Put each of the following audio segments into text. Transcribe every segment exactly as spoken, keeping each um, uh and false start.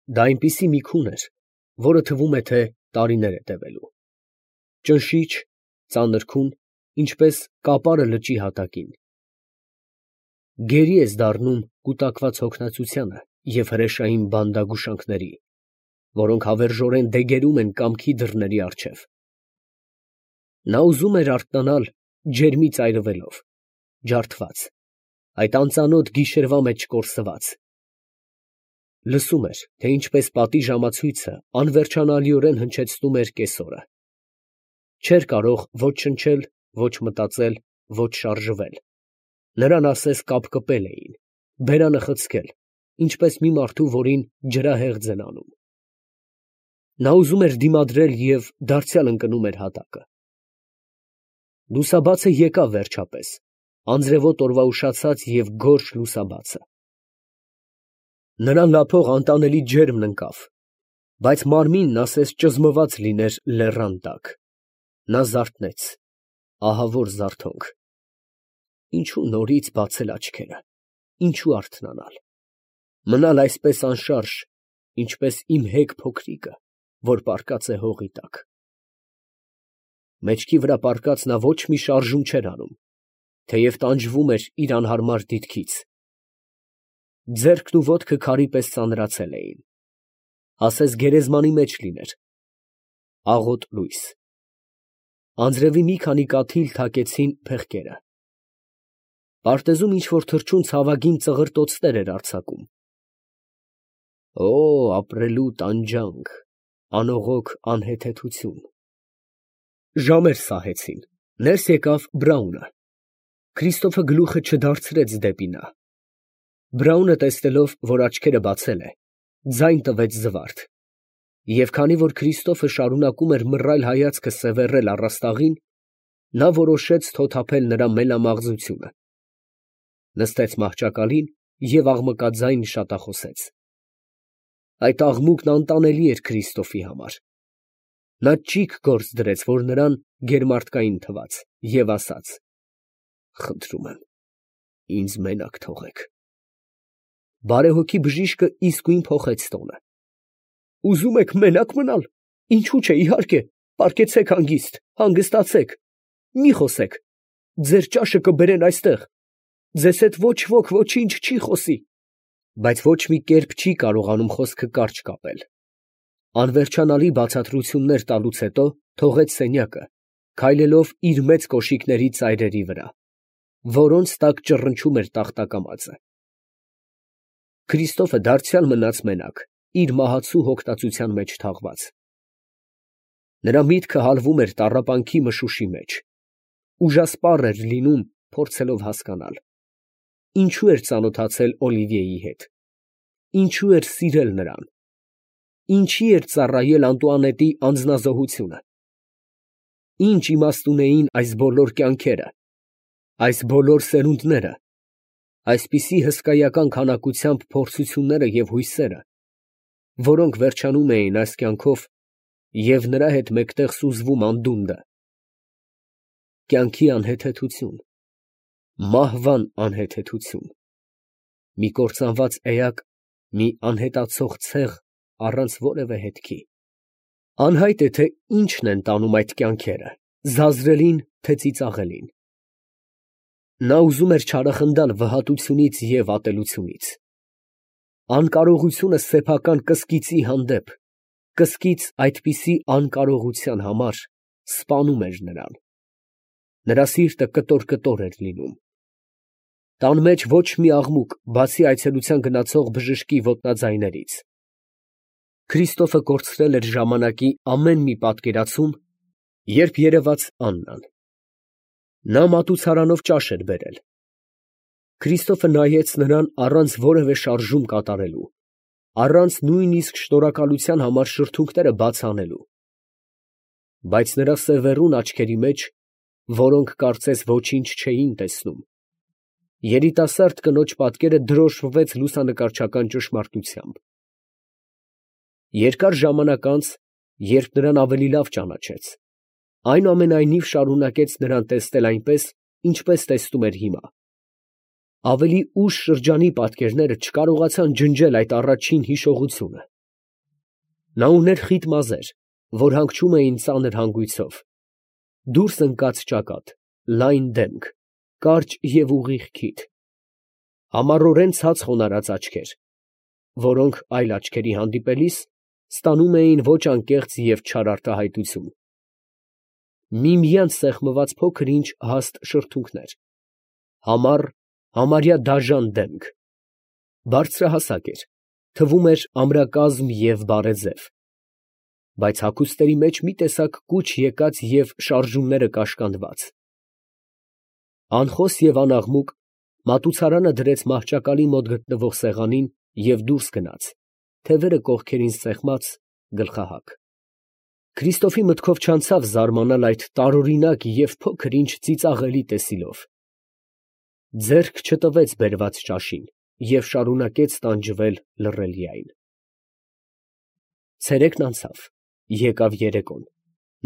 Դա այնպիսի մի քուն էր, որը թվում է, թե տարիներ է տևելու, ճնշիչ, ծանր քուն, ինչպես կապարը լճի հատակին։ Գերի ես դառնում կուտակված հոգնածությանը և հրեշային բանդագուշանքների, որոնք հավերժորեն դեգերում են կամքի դռների առջև։ Նա ուզում էր արթնանալ ջերմի ծայրվելով, ջարդված, այդ անծանոթ գիշերվա մեջ կորսված։ Լսում էր, թե ինչպես պատի ժամացույցը անվերջանալիորեն հնչեցնում էր կեսօրը։ Չէր կարող ոչ շնչել, ոչ մտածել, ոչ շարժվել. նրան ասես կապկպել էին, բերանը խցկել, ինչպես մի մարդու, որին ջրահեղձ են անում։ Նա ուզում էր դիմադրել և դարձյալ ընկնում էր հատակը։ Լուսաբացը եկավ վերջապես, անձրևոտ օրվա ուշացած և գորշ լուսաբացը։ Նրան լափող անտանելի ջերմն ընկավ, բայց մարմինն ասես ճզմված լիներ լեռան տակ։ Նա զարթնեց, ահավոր զարթոնք։ Ինչո՞ւ նորից բացել աչքերը, ինչո՞ւ արթնանալ, մնալ այսպես անշարժ, ինչպես իմ հեգ փոքրիկը, որ պառկած է հողի տակ։ Մեջքի վրա պառկած նա ոչ մի շարժում չէր անում, թեև տանջվում էր իր անհարմար դիրքից։ Ձեռքն ու ոտքը քարի պես ծանրացել էին, ասես գերեզմանի մեջ լիներ, աղոտ լույս։ Անձրևի մի քանի կաթիլ թակեցին փեղկերը։ Պարտեզում ինչ֊որ թռչուն ցավագին ծղրտոցներ էր արձակում։ Օ, ապրելու տանջանք, անողոք անհեթեթություն։ Ժամեր սահեցին, ներս եկավ Բրաունը։ Քրիստոֆը գլուխը չդարձրեց դեպի նա։ Բրաունը տեսնելով, որ աչքերը բացել է, ձայն տվեց զվարթ, և քանի որ Քրիստոֆը շարունակում էր մռայլ հայացքը սևեռել առաստաղին, նա որոշեց թոթափել նրա մելամաղձությունը։ Նստեց մահճակալին և աղմկաձայն շատախոսեց։ Այդ աղմուկն անտանելի էր Քրիստոֆի համար։ Նա ճիգ գործ դրեց, որ նրան գերմարդկային թվաց, և ասաց. «Խնդրում եմ, ինձ մենակ թողեք»։ Բարեհոգի բժիշկը իսկույն փոխեց տոնը. «Ուզում եք մենակ մնալ, ինչու՞ չէ, իհարկե, պառկեցեք հանգիստ, հանգստացեք, մի խոսեք, ձեր ճաշը կբերեն այստեղ, ձեզ հետ ոչ ոք ոչինչ չի խոսի»։ Բայց ոչ մի կերպ չի կարողանում խոսքը կարճ կապել։ Անվերջանալի բացատրություններ տալուց հետո թողեց սենյակը, քայլելով իր մեծ կոշիկների ծայրերի վրա, որոնց տակ ճռնչում էր տախտակամածը։ Քրիստոֆը դարձյալ մնաց մենակ, իր մահացու հոգնածության մեջ թաղված։ Նրա միտքը հալվում էր տառապանքի մշուշի մեջ, ուժասպառ էր լինում, փորձելով հասկանալ. ինչու էր ծանոթացել Օլիվիեի հետ, ինչու էր սիրել նրան, ինչի էր ծառայել Անտուանետի անձնազոհությունը, ինչ իմաստ ունեին այս բոլոր կյանքերը, այս բոլոր սերունդները, այսպիսի հսկայական քանակությամբ փորձությունները և հույսերը, որոնք վերջանում էին այս կյանքով և նրա հետ մեկտեղ սուզվում անդունդը։ Կյանքի անհեթեթություն, մահվան անհեթեթություն, մի կործանված էակ, մի անհետացող ցեղ առանց որևէ հետքի։ Անհայտ է, թե ինչն են տանում այդ կյանքերը, զազրելին, թե ծիծաղելին։ Նա ուզում էր չարախնդալ վհատությունից և ատելությունից։ Անկարողությունը սեփական կսկիծի հանդեպ, կսկիծ այդպիսի անկարողության համար սպանում էր նրան։ Նրա սիրտը կտոր֊կտոր էր լինում։ Տան մեջ ոչ մի աղմուկ, բացի այցելության գնացող բժշկի ոտնաձայներից։ Քրիստոֆը կորցրել էր ժամանակի ամեն մի պատկերացում, երբ երևաց Աննան։ Նա մատուցարանով ճաշ էր բերել։ Քրիստոֆը նայեց նրան առանց որևէ շարժում կատարելու, առանց նույնիսկ շնորհակալության համար շրթունքները բաց անելու։ Բայց նրա սևեռուն աչքերի մեջ, որոնք կարծես ոչինչ չէին տեսնում, երիտասարդ կնոջ պատկերը դրոշմվեց լուսանկարչական ճշմարտությամբ։ Երկար ժամանակ անց, երբ նրան ավելի լավ ճանաչեց, այնուամենայնիվ շարունակեց նրան տեսնել այնպես, ինչպես տեսնում էր հիմա։ Ավելի ուշ շրջանի պատկերները չկարողացան ջնջել այդ առաջին հիշողությունը։ Նա ուներ խիտ մազեր, որ հանգչում էին ծանր հանգույցով, դուրս ընկած ճակատ, լայն դեմք, կարճ և ուղիղ քիթ, համառորեն ցած խոնարհած աչքեր, որոնք այլ աչքերի հանդիպելիս ստանում էին ոչ անկեղծ և չար արտահայտություն, միմյանց սեղմված փոքր֊ինչ հաստ շրթունքներ, համառ, համարյա դաժան դեմք, բարձրահասակ էր, թվում էր ամրակազմ և բարեձև, բայց հագուստերի մեջ մի տեսակ կուչ եկած և շարժումները կաշկանդված, անխոս և անաղմուկ, մատուցարանը դրեց մահճակալի մոտ գտնվող սեղանին և դուրս գնաց, թևերը կողքերին սեղմած, գլխահակ։ Քրիստոֆի մտքով չանցավ զարմանալ այդ տարօրինակ և փոքր֊ինչ ծիծաղելի տեսիլով, ձեռք չտվեց բերված ճաշին և շարունակեց տանջվել լռելիայն։ Ցերեկն անցավ, եկավ երեկոն,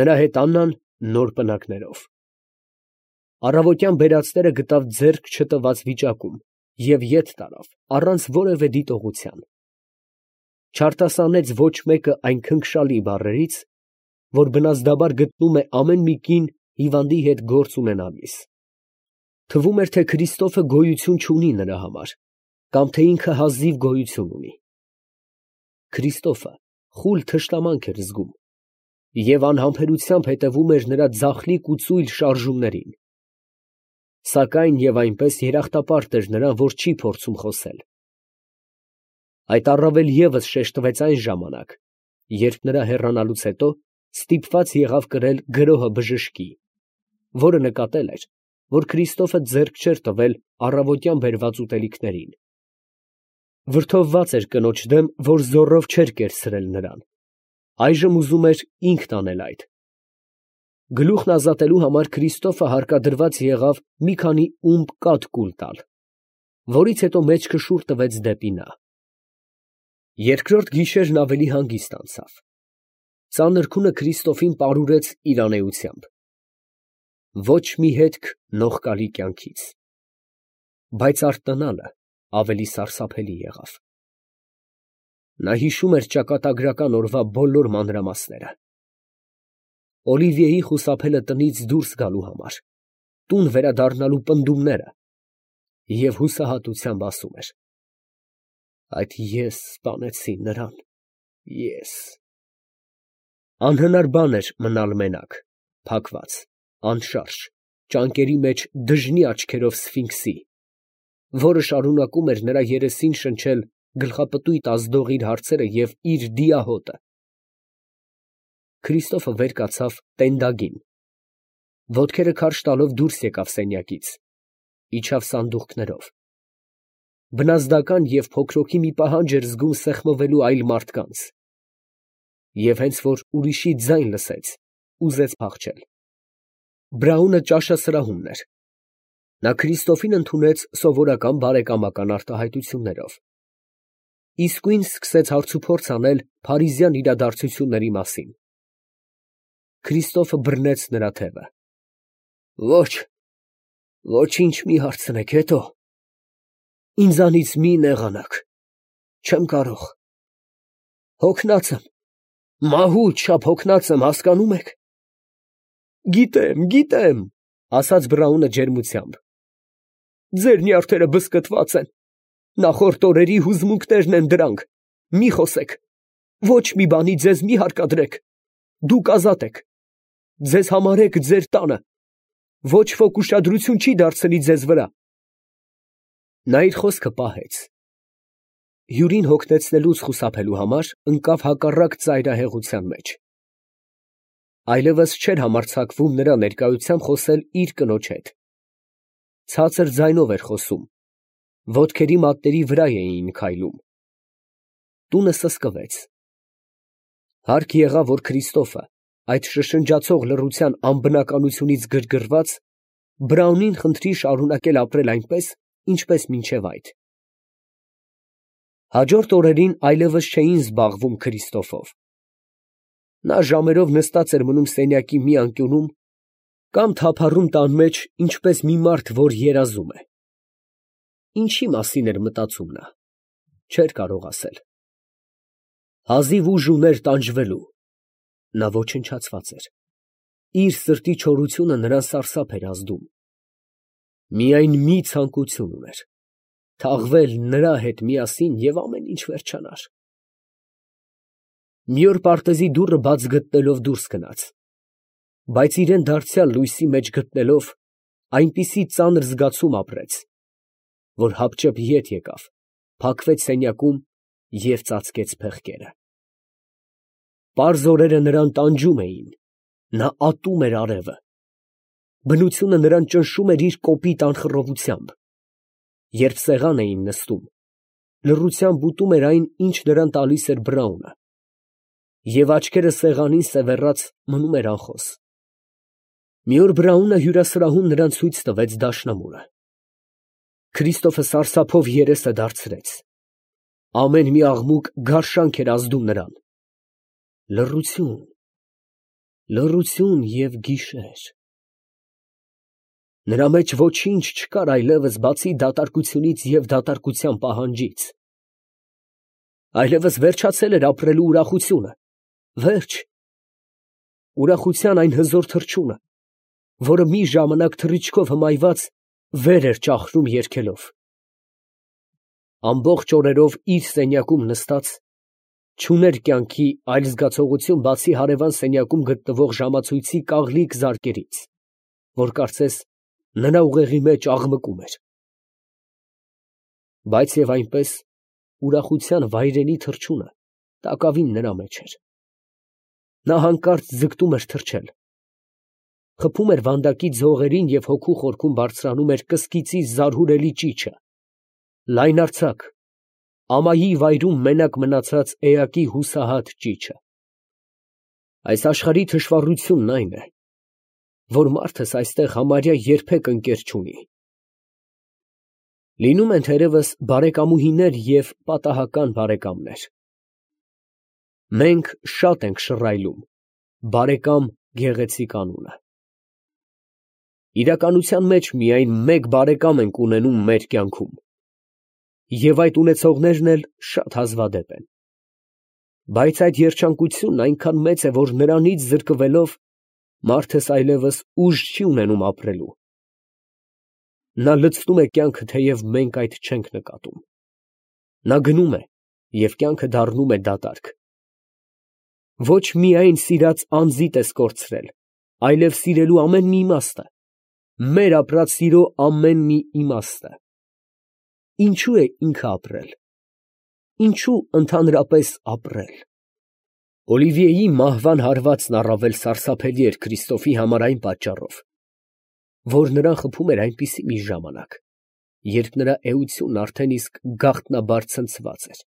նրա հետ Աննան նոր պնակներով։ Առավոտյան բերածները գտավ ձեռք չտված վիճակում և ետ տարավ առանց որևէ դիտողության, չարտասանեց ոչ մեկը այն քնքշալի բառերից, որ բնազդաբար գտնում է ամեն մի կին հիվանդի հետ գործ ունենալիս, թվում էր, թե Քրիստոֆը գոյություն չունի նրա համար, կամ թե ինքը հազիվ գոյություն ունի։ Քրիստոֆը խուլ թշնամանք էր զգում և անհամբերությամբ հետևում էր նրա ձախլիկ ու ծույլ շարժումներին, սակայն և այնպես երախտապարտ էր նրան, որ չի փորձում խոսել։ Այդ առավել ևս շեշտվեց այն ժամանակ, երբ նրա հեռանալուց հետո ստիպված եղավ կրել գրոհը բժշկի, որը նկատել էր, որ Քրիստոֆը ձեռք չէր տվել առավոտյան բերված ուտելիքներին, վրդովված էր կնոջ դեմ, որ զոռով չէր կերցրել նրան, այժմ ուզում էր ինքն անել այդ։ Գլուխն ազատելու համար Քրիստոֆը հարկադրված եղավ մի քանի ումպ կաթ կուլ տալ, որից հետո մեջքը շուռ տվեց դեպի նա։ Երկրորդ գիշերն ավելի հանգիստ անցավ, ծանր քունը Քրիստոֆին պարուրեց իր անէությամբ, ոչ մի հետք նողկալի կյանքից, բայց արթնանալը ավելի սարսափելի եղավ։ Նա հիշում էր ճակատագրական օրվա բոլոր մանրամասները, Օլիվիեի խուսափելը տնից դուրս գալու համար, տուն վերադառնալու պնդումները և հուսահատությամբ ասում էր. «Այդ ես սպանեցի նրան, ես»։ Անհնար բան էր մնալ մենակ, փակված, անշարժ, ճանկերի մեջ դժնի աչքերով սֆինքսի, որը շարունակում էր նրա երեսին շնչել գլխապտույտ ազդող իր հարցերը և իր դիահոտը։ Քրիստոֆը վեր կացավ տենդագին, ոտքերը քարշ տալով դուրս եկավ սենյակից, իջավ սանդուղքներով, բնազդական և փոքրոքի մի պահանջ էր զգում սեղմվելու այլ մարդկանց, և հենց որ ուրիշի ձայն լսեց, ուզեց փախչել։ Բրաունը ճաշասրահումն էր, նա Քրիստոֆին ընդունեց սովորական բարեկամական արտահայտություններով, իսկույն սկսեց հարցուփորձ անել փարիզյան իրադարձությունների մասին։ Քրիստոֆը բռնեց նրա թևը։ Ոչ, ոչինչ մի հարցնեք, հետո, ինձանից մի նեղանաք, չեմ կարող, հոգնած եմ, մահու չափ հոգնած եմ, հասկանում եք։ Գիտեմ, գիտեմ, ասաց Բրաունը ջերմությամբ, ձեր նյարդերը բզկտված են, նախորդ օրերի հուզմունքներն են դրանք, մի խոսեք, ոչ մի բանի ձեզ մի հարկադրեք, դուք ազատ եք, ձեզ համարեք ձեր տանը, ոչ ոք ուշադրություն չի դարձնի ձեզ վրա։ Նա իր խոսքը պահեց, հյուրին հոգնեցնելուց խուսափելու համար ընկավ հակառակ ծայրահեղության մեջ, այլևս չէր համարձակվում նրա ներկայությամբ խոսել իր կնոջ հետ, ցածր ձայնով էր խոսում, ոտքերի մատների վրա էին քայլում։ Տունը սսկվեց։ Հարկ եղավ, որ Քրիստոֆը, այդ շշնջացող լռության անբնականությունից գրգռված, Բրաունին խնդրի շարունակել ապրել այնպես, ինչպես մինչև այդ։ Հաջորդ օրերին այլևս չէին զբաղվում Քրիստոֆով։ Նա ժամերով նստած էր մնում սենյակի մի անկյունում կամ թափառում տան մեջ, ինչպես մի մարդ, որ երազում է։ Ինչի մասին էր մտածում նա, չէր կարող ասել։ Հազիվ ուժ ուներ տանջվելու, նա ոչնչացված էր, իր սրտի չորությունը նրան սարսափ էր ազդում, միայն մի ցանկություն ուներ, թաղվել նրա հետ միասին և ամեն ինչ վերջանար։ Մի օր պարտեզի դուռը բաց գտնելով դուրս գնաց, բայց իրան դարձյալ լույսի մեջ գտնելով, այնպիսի ծանր զգացում ապրեց, որ հապճեպ ետ եկավ, փակվեց սենյակում և ծածկեց փեղկերը։ Պարզ օրերը նրան տանջում էին, նա ատում էր արևը, բնությունը նրան ճնշում էր իր կոպիտ անխռովությամբ, երբ սեղան էին նստում, լռությամբ ուտում էր այն, ինչ նրան տալիս էր Բրաունը, և աչքերը սեղանին սևեռած մնում էր անխոս։ Մի օր Բրաունը հյուրասրահում նրան ցույց տվեց դաշնամուրը։ Քրիստոֆը սարսափով երեսը դարձրեց, ամեն մի աղմուկ գարշանք էր ազդում նրան, լռություն, լռություն և գիշեր։ Նրա մեջ ոչինչ չկար այլևս, բացի դատարկությունից և դատարկության պահանջից։ Այլևս վերջացել էր ապրելու ուրախությունը, վերջ, ուրախության այն հզոր թռչունը, որը մի ժամանակ թռիչքով հմայված վեր էր ճախրում երգելով։ Ամբողջ օրերով իր սենյակում նստած, չուներ կյանքի այլ զգացողություն, բացի հարևան սենյակում գտնվող ժամացույցի կաղլիկ զարկերից, որ կարծես նրա ուղեղի մեջ աղմկում էր։ Բայց և այնպես ուրախության վայրենի թռչունը տակավին նրա մեջ էր։ Նա հանկարծ ձգտում էր թռչել, խփում էր վանդակի ձողերին և հոգու խորքում բարձրանում էր կսկիծի զարհուրելի ճիչը, լայնարձակ, ամայի վայրում մենակ մնացած էակի հուսահատ ճիչը։ Այս աշխարհի թշվառությունն այն է, որ մարդս այստեղ համարյա երբեք ընկեր չունի։ Լինում են թերևս բարեկամուհիներ և պատահական բարեկամներ։ Մենք շատ ենք շռայլում բարեկամ գեղեցիկ անունը։ Իրականության մեջ միայն մեկ բարեկամ ենք ունենում մեր կյանքում, և այդ ունեցողներն էլ շատ հազվադեպ են, բայց այդ երջանկությունն այնքան մեծ է, որ նրանից զրկվելով, մարդս այլևս ուժ չի ունենում ապրելու։ Նա լցնում է կյանքը, թեև մենք այդ չենք նկատում։ Նա գնում է, և կյանքը դառնում է դատարկ։ Ոչ միայն սիրած անձիդ ես կորցրել, այլև սիրելու ամեն մի իմաստը, մեր ապրած սիրո ամեն մի իմաստը։ Ինչո՞ւ է ինքը ապրել, ինչո՞ւ ընդհանրապես ապրել։ Օլիվիեի մահվան հարվածն առավել սարսափելի էր Քրիստոֆի համար այն պատճառով, որ նրան խփում էր այնպիսի մի ժամանակ, երբ նրա էությունն արդեն իսկ գաղտնաբար ցնցված էր։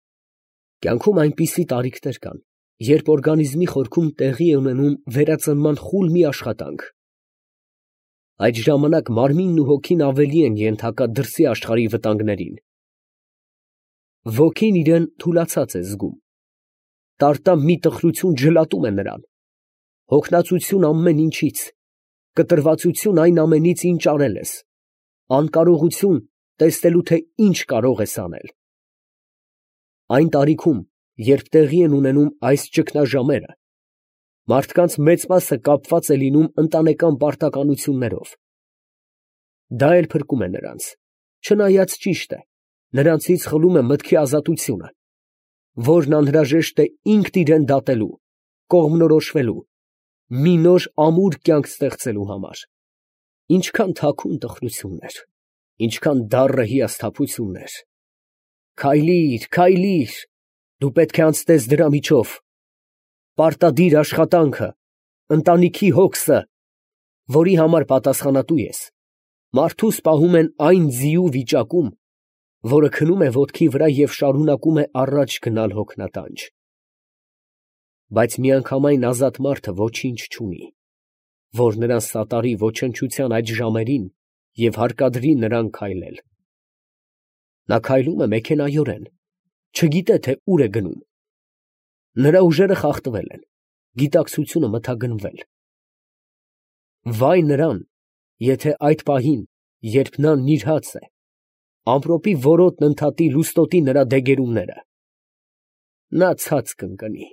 Կյանքում այնպիսի տարիքներ կան, երբ օրգանիզմի խորքում տեղի է ունենում վերածնման խուլ մի աշխատանք։ Այդ ժամանակ մարմինն ու հոգին ավելի են ենթակա դրսի աշխարհի վտանգներին։ Ոգին իրան թուլացած է զգում, տարտամ մի տխրություն ջլատում է նրան, հոգնածություն ամեն ինչից, կտրվածություն այն ամենից, ինչ արել ես, անկարողություն տեսնելու, թե ինչ կարող ես անել։ Այն տարիքում, երբ տեղի են ունենում այս ճգնաժամերը, մարդկանց մեծ մասը կապված է լինում ընտանեկան պարտականություններով։ Դա էլ փրկում է նրանց, չնայած ճիշտ է, նրանցից խլում է մտքի ազատությունը, որն անհրաժեշտ է ինքն իրան դատելու, կողմնորոշվելու, մի նոր ամուր կյանք ստեղծելու համար։ Ինչքան թաքուն տխրություններ, ինչքան դառը հիասթափություններ։ Քայլի՛ր, քայլի՛ր, դու պետք է անցնես դրա միջով, պարտադիր աշխատանքը, ընտանիքի հոգսը, որի համար պատասխանատու ես, մարդուս պահում են այն ձիու վիճակում, որը քնում է ոտքի վրա և շարունակում է առաջ գնալ հոգնատանջ։ Բայց միանգամայն ազատ մարդը ոչինչ չունի, որ նրան սատարի ոչնչության այդ ժամերին և հարկադրի նրան քայլել։ Նա քայլում է մեքենայորեն, չգիտե, թե ուր է գնում։ Նրա ուժերը խախտվել են, գիտակցությունը մթագնվել։ Վայ նրան, եթե այդ պահին, երբ նա նիրհած է, ամպրոպի որոտն ընդհատի լուստոտի նրա դեգերումները։ նա ցած կընկնի։